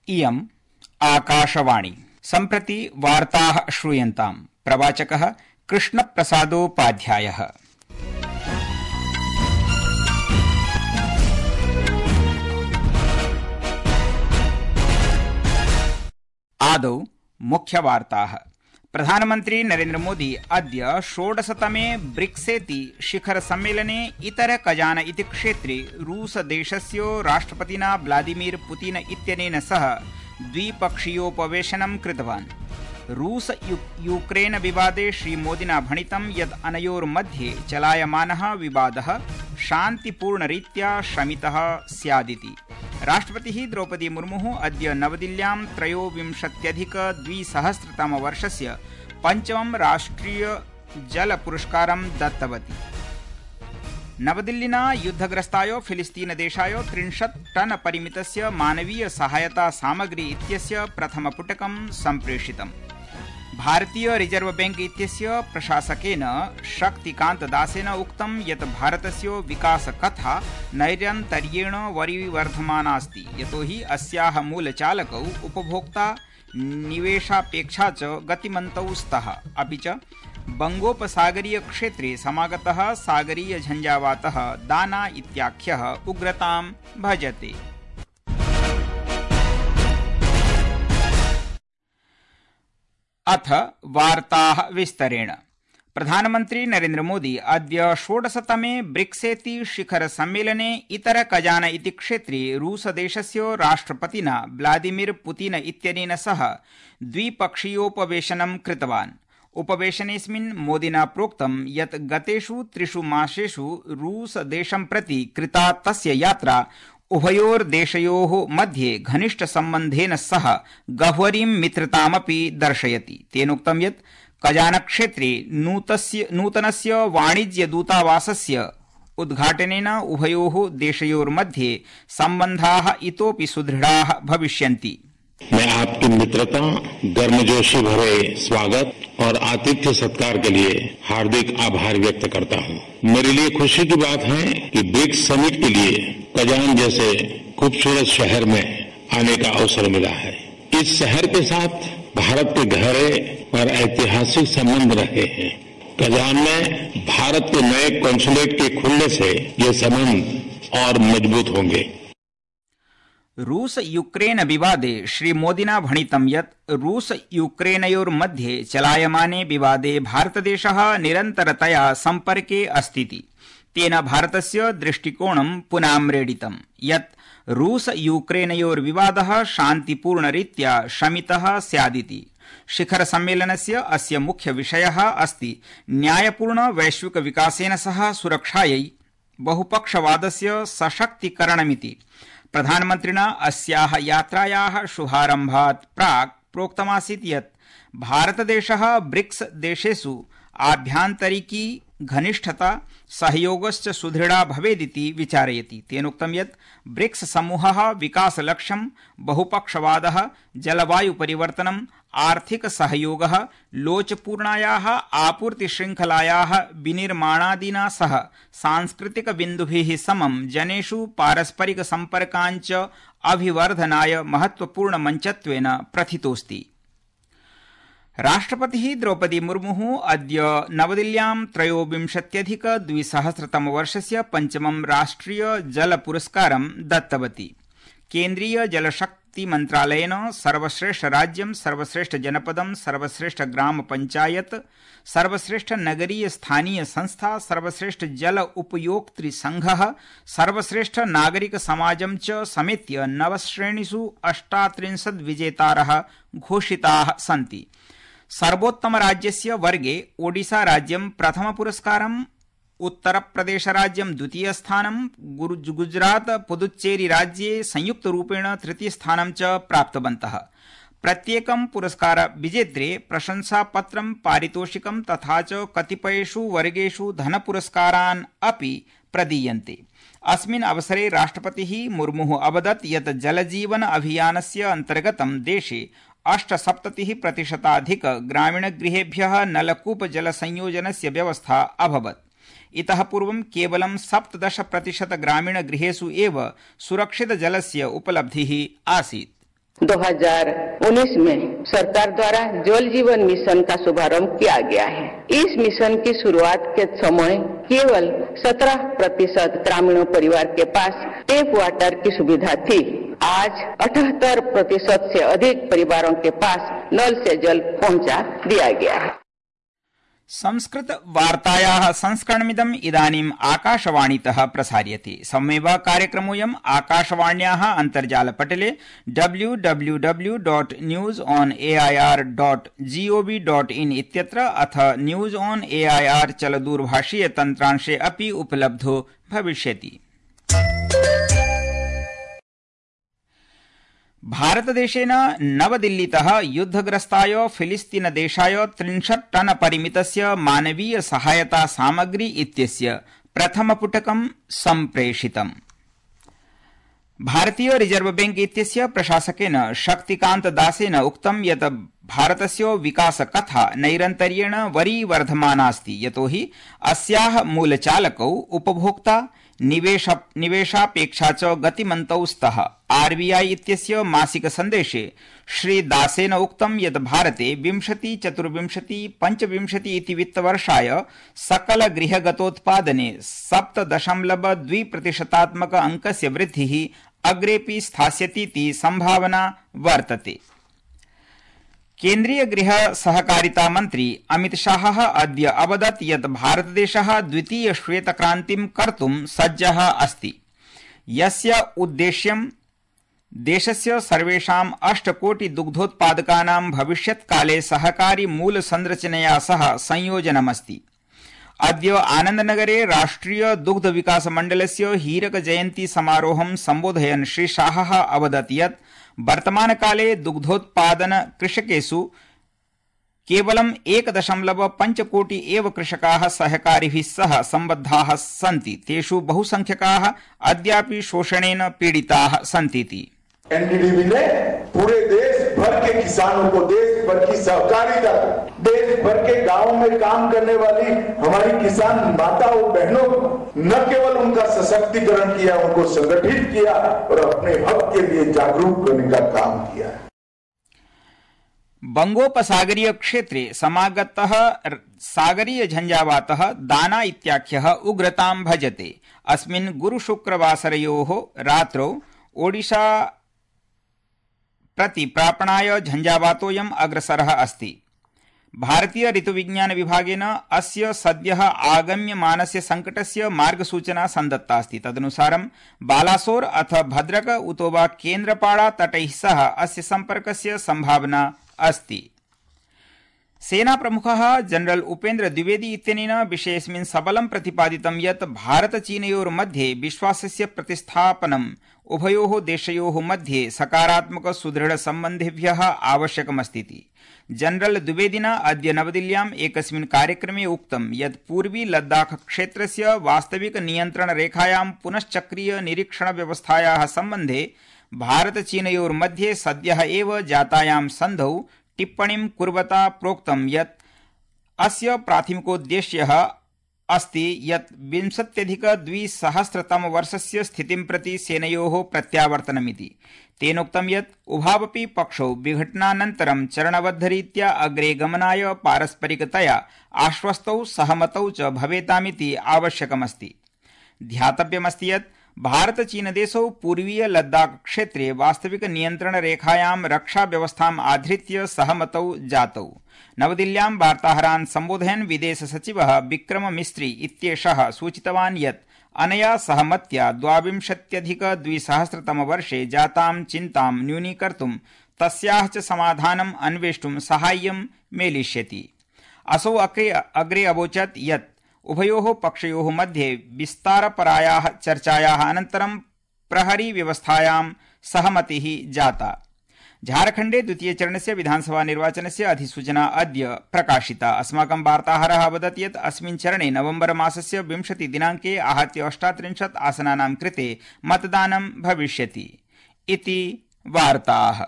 इयम् आकाशवाणी। सम्प्रति वार्ताः श्रूयन्ताम्। प्रवाचकः कृष्णप्रसादोपाध्यायः। आदौ मुख्यवार्ताः। प्रधानमन्त्री नरेन्द्र मोदी अद्य 16तमे ब्रिक्सेति शिखर सम्मेलने इतर कजान इति क्षेत्रे रूसदेशस्य राष्ट्रपतिना व्लादिमीर पुतिन इत्यनेन सह द्विपक्षीयोपवेशनं कृतवान्। रूस यूक्रेन विवादे श्रीमोदिना भणितं यत् अनयोर्मध्ये चलायमानः विवादः शान्तिपूर्णरीत्या शमितः स्यादिति। राष्ट्रपतिः द्रौपदी मुर्मुः अद्य नवदिल्ल्यां 23-अधिक-2000 पञ्चमं राष्ट्रिय जल पुरस्कारं दत्तवती। नवदिल्लिना युद्धग्रस्ताय फिलिस्तीनदेशाय 30 टन परिमितस्य मानवीय सहायता सामग्री इत्यस्य प्रथमपुटकं सम्प्रेषितम्। भारतीय रिजर्व बैंक इत्यस्य प्रशासकेन शक्तिकान्त दासेन उक्तं यत् भारतस्य विकासकथा नैरन्तर्येण वरिवर्धमानास्ति, यतोहि अस्याः मूलचालकौ उपभोक्ता, निवेशापेक्षा च गतिमन्तौ स्तः। अपि च बंगोपसागरीय क्षेत्रे समागतः सागरीय झंझावातः दाना इत्याख्यः उग्रतां भजते। अथ वार्ताः विस्तरेण। प्रधानमन्त्री नरेन्द्र मोदी अद्य 16तमे ब्रिक्सेति शिखर सम्मेलने इतर कजान इति क्षेत्रे रूसदेशस्य राष्ट्रपतिना व्लादिमीर पुतिन इत्यनेन सह द्विपक्षीयोपवेशनं कृतवान्। उपवेशनेऽस्मिन् मोदिना प्रोक्तं यत् गतेषु 3 मासेषु रूसदेशं प्रति कृता तस्य यात्रा उभयोर्देशयोः मध्ये घनिष्ठसम्बन्धेन सह गह्वरीं मित्रतामपि दर्शयति। तेनोक्तं यत् कजानक्षेत्रे नूतनस्य वाणिज्यदूतावासस्य उद्घाटनेन उभयोः देशयोर्मध्ये सम्बन्धाः इतोपि सुदृढाः भविष्यन्ति। मैं आपकी मित्रता, गर्मजोशी भरे स्वागत और आतिथ्य सत्कार के लिए हार्दिक आभार व्यक्त करता हूं। मेरे लिए खुशी की बात है कि ब्रिक्स समिट के लिए कजान जैसे खूबसूरत शहर में आने का अवसर मिला है। इस शहर के साथ भारत के गहरे और ऐतिहासिक संबंध रहे हैं। कजान में भारत के नए कॉन्सुलेट के खुलने से ये संबंध और मजबूत होंगे। रूस यूक्रेन विवादे श्रीमोदिना भणितं यत् रूस यूक्रेनयोर्मध्ये चलायमाने विवादे भारतदेशः निरन्तरतया सम्पर्के अस्तीति। तेन भारतस्य दृष्टिकोणं पुनाम्रेडितं यत् रूस यूक्रेनयोर्विवादः शान्तिपूर्णरीत्या शमितः स्यादिति। शिखर सम्मेलनस्य अस्य मुख्य विषयः अस्ति न्यायपूर्ण वैश्विक विकासेन सह सुरक्षायै बहुपक्षवादस्य सशक्तीकरणमिति। प्रधानमन्त्रिणा अस्याः यात्रायाः शुभारम्भात् प्राक् प्रोक्तमासीत् यत् भारतदेशः ब्रिक्स देशेषु आभ्यान्तरिकी घनिष्ठता सहयोगश्च सुदृढा भवेदिति विचारयति। तेनोक्तं यत् ब्रिक्स समूहः विकासलक्ष्यं, बहुपक्षवादः, जलवायुपरिवर्तनम्, आर्थिक सहयोगः, लोचपूर्णायाः आपूर्तिशृङ्खलायाः विनिर्माणादिना सह सांस्कृतिक बिन्दुभिः समं जनेषु पारस्परिक सम्पर्काञ्च अभिवर्धनाय महत्वपूर्ण मञ्चत्वेन प्रथितोऽस्ति। राष्ट्रपतिः द्रौपदी मुर्मुः अद्य नवदिल्ल्यां 23-अधिक-2000 पञ्चमं राष्ट्रिय जल पुरस्कारं दत्तवती। केन्द्रीय जलशक्ति मन्त्रालयेन सर्वश्रेष्ठ राज्यं, सर्वश्रेष्ठ जनपदं, सर्वश्रेष्ठ ग्राम पंचायत, सर्वश्रेष्ठ नगरीय स्थानीय संस्था, सर्वश्रेष्ठ जल उपयोक्तृ संघः, सर्वश्रेष्ठ नागरिक समाजं च समेत्य 9 श्रेणीषु 38 विजेतारः घोषिताः सन्ति। सर्वोत्तमराज्यस्य वर्गे ओडिशा राज्यं प्रथमपुरस्कारम्, उत्तरप्रदेशराज्यं द्वितीयस्थानं, गुजरात पुदुच्चेरी राज्ये संयुक्तरूपेण तृतीयस्थानं च प्राप्तवन्तः। प्रत्येकं पुरस्कार विजेत्रे प्रशंसापत्रं, पारितोषिकं तथा च कतिपयेषु वर्गेषु धनपुरस्कारान् अपि प्रदीयन्ते। अस्मिन् अवसरे राष्ट्रपतिः मुर्मुः अवदत् यत् जलजीवन अभियानस्य अन्तर्गतं देशे 78% ग्रामीणगृहेभ्यः नलकूपजलसंयोजनस्य व्यवस्था अभवत्। इतः पूर्वं केवलं 17% ग्रामीणगृहेषु एव सुरक्षितजलस्य उपलब्धिः आसीत्। 2019 में सरकार द्वारा जल जीवन मिशन का शुभारंभ किया गया है। इस मिशन की शुरुआत के समय केवल 17% ग्रामीण परिवार के पास टैप वाटर की सुविधा थी। आज 78% से अधिक परिवारों के पास नल से जल पहुंचा दिया गया है। संस्कृत वार्तायाः संस्करणमिदम् इदानीम् आकाशवाणीतः प्रसार्यते। सममेव कार्यक्रमोऽयम् आकाशवाण्याः अन्तर्जालपटले www.newsonair.gov.in इत्यत्र अथ न्यूज ऑन एआईआर चलदूरभाषीय तन्त्रांशे अपि उपलब्धो भविष्यति। भारतदेशेन नवदिल्लीतः युद्धग्रस्ताय फिलिस्तीनदेशाय 30 टन परिमितस्य मानवीय सहायता सामग्री इत्यस्य प्रथमपुटकं सम्प्रेषितम्। भारतीय रिजर्व बैंक इत्यस्य प्रशासकेन शक्तिकान्त दासेन उक्तं यत् भारतस्य विकासकथा नैरन्तर्येण वरीवर्धमानास्ति, यतोहि अस्याः मूलचालकौ उपभोक्ता निवेशापेक्षा च गतिमन्तौ स्तः। आरबीआई इत्यस्य मासिक सन्देशे श्री दासेन उक्तं यत् भारते 2024-25 इति वित्तवर्षाय सकल गृहगतोत्पादने 7.2% अंकस्य वृद्धिः अग्रेपि स्थास्यतीति संभावना वर्तते। केन्द्रीय गृह सहकारिता मन्त्री अमित शाहः अद्य अवदत् यत् भारतदेशः द्वितीय श्वेतक्रान्तिं कर्तुं सज्जः अस्ति, यस्य उद्देश्यं देशस्य सर्वेषां 8 कोटि दुग्धोत्पादकानां भविष्यत्काले सहकारी मूलसंरचनया सह संयोजनमस्ति। अद्य आनन्दनगरे राष्ट्रिय दुग्ध विकास मण्डलस्य हीरक जयन्ती समारोहं सम्बोधयन् श्री शाहः अवदत् यत् वर्तमानकाले दुग्धोत्पादन कृषकेषु केवलं 1.5 कोटि एव कृषकाः सहकारिभिः सह सम्बद्धाः सन्ति। तेषु बहुसंख्यकाः अद्यापि शोषणेन पीडिताः सन्तीति। एनडीडीबी ने पूरे देश भर के किसानों को, देश भर की सहकारिता को, देश भर के गांवों में काम करने वाली हमारी किसान माताओं बहनों को न केवल उनका सशक्तिकरण किया, उनको संगठित किया और अपने हक के लिए जागरूक करने का काम किया। बंगोपसागरीय क्षेत्रे समागतः सागरीय झंझावातः दाना इत्याख्यः उग्रतां भजते। अस्मिन् गुरुशुक्रवासरयोः रात्रौ ओडिशा प्रति प्रापणाय झंझावातोऽयम् अग्रसरः अस्ति। भारतीय ऋतुविज्ञान विभागेन अस्य सद्यः आगम्यमानस्य संकटस्य मार्गसूचना सन्दत्ता अस्ति। तदनुसारं बालासोर अथ भद्रक उतो वा केन्द्रपाड़ा तटैः सह अस्य सम्पर्कस्य संभावना अस्ति। सेनाप्रमुखः जनरल उपेन्द्र द्विवेदी इत्यनेन विषयेऽस्मिन् सबलं प्रतिपादितं यत् भारत-चीनयोर्मध्ये विश्वासस्य प्रतिस्थापनम् उभयोः देशयोः मध्ये सकारात्मक सुदृढ सम्बन्धेभ्यः आवश्यकमस्तीति। जनरल द्विवेदिना अद्य नवदिल्ल्याम् एकस्मिन् कार्यक्रमे उक्तं यत् पूर्वी लद्दाख क्षेत्रस्य वास्तविक नियन्त्रण रेखायां पुनश्चक्रीय निरीक्षण व्यवस्थायाः सम्बन्धे भारत-चीनयोर्मध्ये सद्यः एव जातायां सन्धौ टिप्पणीं कुर्वता प्रोक्तं यत् अस्य प्राथमिकोद्देश्यः अस्ति यत् 20अधिक-2000 स्थितिं प्रति सेनयोः प्रत्यावर्तनमिति। तेनोक्तं यत् उभावपि पक्षौ विघटनानन्तरं चरणबद्धरीत्या अग्रे गमनाय पारस्परिकतया आश्वस्तौ सहमतौ च भवेतामिति आवश्यकमस्ति। ध्यातव्यमस्ति यत् भारत-चीनदेशौ पूर्वीय लद्दाख क्षेत्रे वास्तविक नियन्त्रण रेखायां रक्षा व्यवस्थाम् आधृत्य सहमतौ जातौ। नवदिल्ल्यां वार्ताहरान् सम्बोधयन् विदेश सचिवः विक्रम मिस्त्री इत्येषः सूचितवान् यत् अनया सहमत्या 2022 वर्षे जातां चिन्तां न्यूनीकर्तुं तस्याः च समाधानम् अन्वेष्टुं साहाय्यं मेलिष्यति। असौ अग्रे अवोचत् यत् उभयोः पक्षयोः मध्ये विस्तारपरायाः चर्चायाः अनन्तरं प्रहरी व्यवस्थायां सहमतिः जाता। झारखण्डे द्वितीयचरणस्य विधानसभा निर्वाचनस्य अधिसूचना अद्य प्रकाशिता। अस्माकं वार्ताहरः अवदत् यत् अस्मिन् चरणे नवम्बर मासस्य 20 दिनाङ्के आहत्य 38 आसनानां कृते मतदानं भविष्यति इति वार्ताः।